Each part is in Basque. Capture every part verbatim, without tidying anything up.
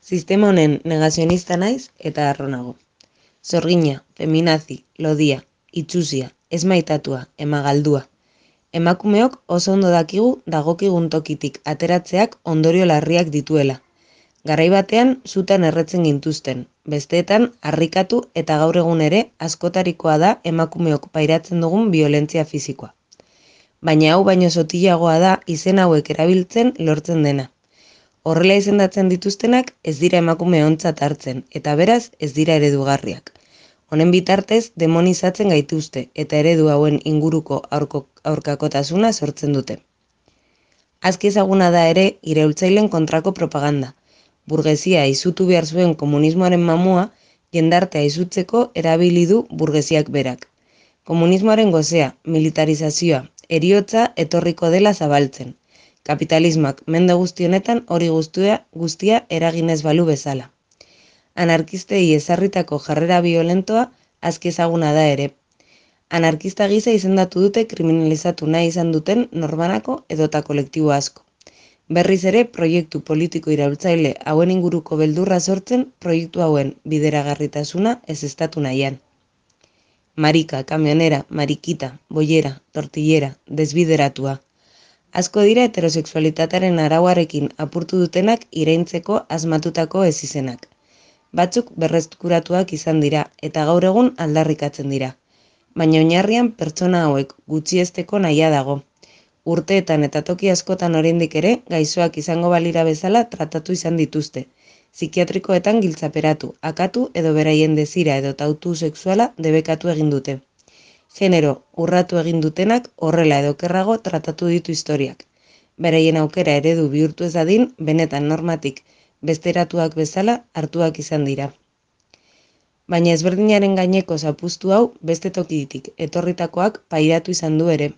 Sistema honen negazionista naiz eta harro nago. Zorgina, feminazi, lodia, itxusia, esmaitatua, emagaldua. Emakumeok oso ondo dakigu dagokigun tokitik ateratzeak ondorio larriak dituela. Garai batean zutan erretzen gintuzten, besteetan harrikatu eta gaur egun ere askotarikoa da emakumeok pairatzen dugun biolentzia fisikoa. Baina hau baino sotilagoa da izen hauek erabiltzen lortzen dena. Horrela izendatzen dituztenak ez dira emakume ontzat hartzen, eta beraz ez dira eredugarriak. Honen bitartez demonizatzen gaituzte, eta eredu hauen inguruko aurko, aurkakotasuna sortzen dute. Azki ezaguna da ere iraultzailen kontrako propaganda. Burgesia izutu behar zuen komunismoaren mamua, jendartea izutzeko erabili du burgesiak berak. Komunismoaren gozea, militarizazioa, heriotza etorriko dela zabaltzen. Kapitalismoak mende guzti honetan hori guztia, guztia eraginez balu bezala. Anarkistei ezarritako jarrera violentoa azki ezaguna da ere. Anarkista gisa izendatu dute kriminalizatu nahi izan duten norbanako edota kolektibo asko. Berriz ere proiektu politiko iraultzaile hauen inguruko beldurra sortzen proiektu hauen bideragarritasuna ezeztatu nahian. Marika, kamionera, marikita, boiera, tortillera, desbideratua. Asko dira heterosexualitatearen arauarekin apurtu dutenak iraintzeko asmatutako ez izenak. Batzuk berreskuratuak izan dira eta gaur egun aldarrikatzen dira. Baina oinarrian pertsona hauek gutxiesteko nahia dago. Urteetan eta toki askotan oraindik ere gaixoak izango balira bezala tratatu izan dituzte. Psikiatrikoetan giltzaperatu, akatu edo beraien desira edo tautu sexuala debekatu egin dute. Genero urratu egin dutenak horrela edo okerrago tratatu ditu historiak. Beraien aukera eredu bihurtu ez dadin, benetan normatik besteratuak bezala hartuak izan dira. Baina ezberdinaren gaineko zapustu hau beste tokitik etorritakoak pairatu izan du ere.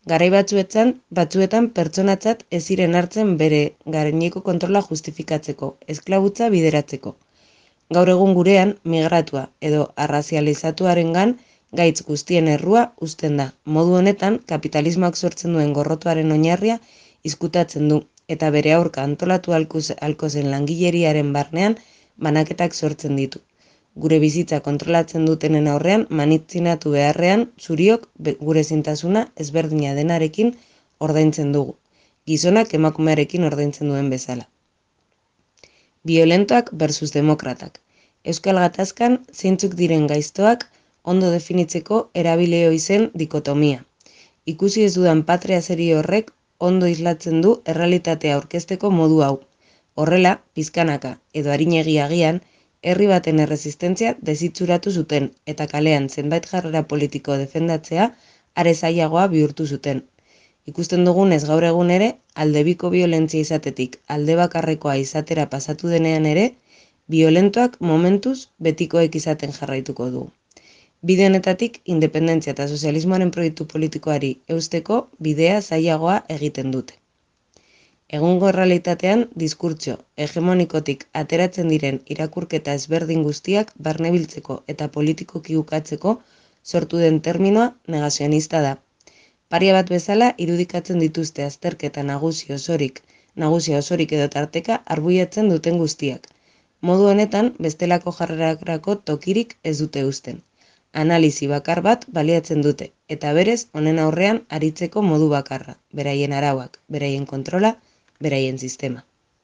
Garai batzuetan, batzuetan pertsonatzat ez ziren hartzen bere gaineko kontrola justifikatzeko, esklabutza bideratzeko. Gaur egun gurean migratua edo arrazializatuarengan gaitz guztien errua uzten da. Modu honetan, kapitalismoak sortzen duen gorrotuaren oinarria izkutatzen du, eta bere aurka antolatu halko zen langileriaren barnean banaketak sortzen ditu. Gure bizitza kontrolatzen dutenen aurrean manitzinatu beharrean zuriok gure zintasuna ezberdina denarekin ordaintzen dugu. Gizonak emakumearekin ordaintzen duen bezala. Violentoak versus demokratak. Euskal Gatazkan zeintzuk diren gaiztoak ondo definitzeko erabili ohi zen dikotomia. Ikusi ez dudan patria serie horrek ondo islatzen du errealitatea aurkezteko modu hau. Horrela, pizkanaka edo arinegi agian, herri baten erresistentzia desitxuratu zuten eta kalean zenbait jarrera politiko defendatzea are zailagoa bihurtu zuten. Ikusten dugunez gaur egun ere, aldebiko violentzia izatetik alde bakarrekoa izatera pasatu denean ere, violentoak momentuz betikoek izaten jarraituko du. Bide honetatik, independentzia eta sozialismoaren proiektu politikoari eusteko bidea zailagoa egiten dute. Egungo errealitatean, diskurtso hegemonikotik ateratzen diren irakurketa ezberdin guztiak barnebiltzeko eta politikoki ukatzeko sortu den terminoa negazionista da. Paria bat bezala irudikatzen dituzte azterketa nagusi osorik, nagusia osorik edo tarteka arbuiatzen duten guztiak. Modu honetan, bestelako jarrerarako tokirik ez dute uzten. Analizi bakar bat baliatzen dute, eta berez honen aurrean aritzeko modu bakarra, beraien arauak, beraien kontrola, beraien sistema.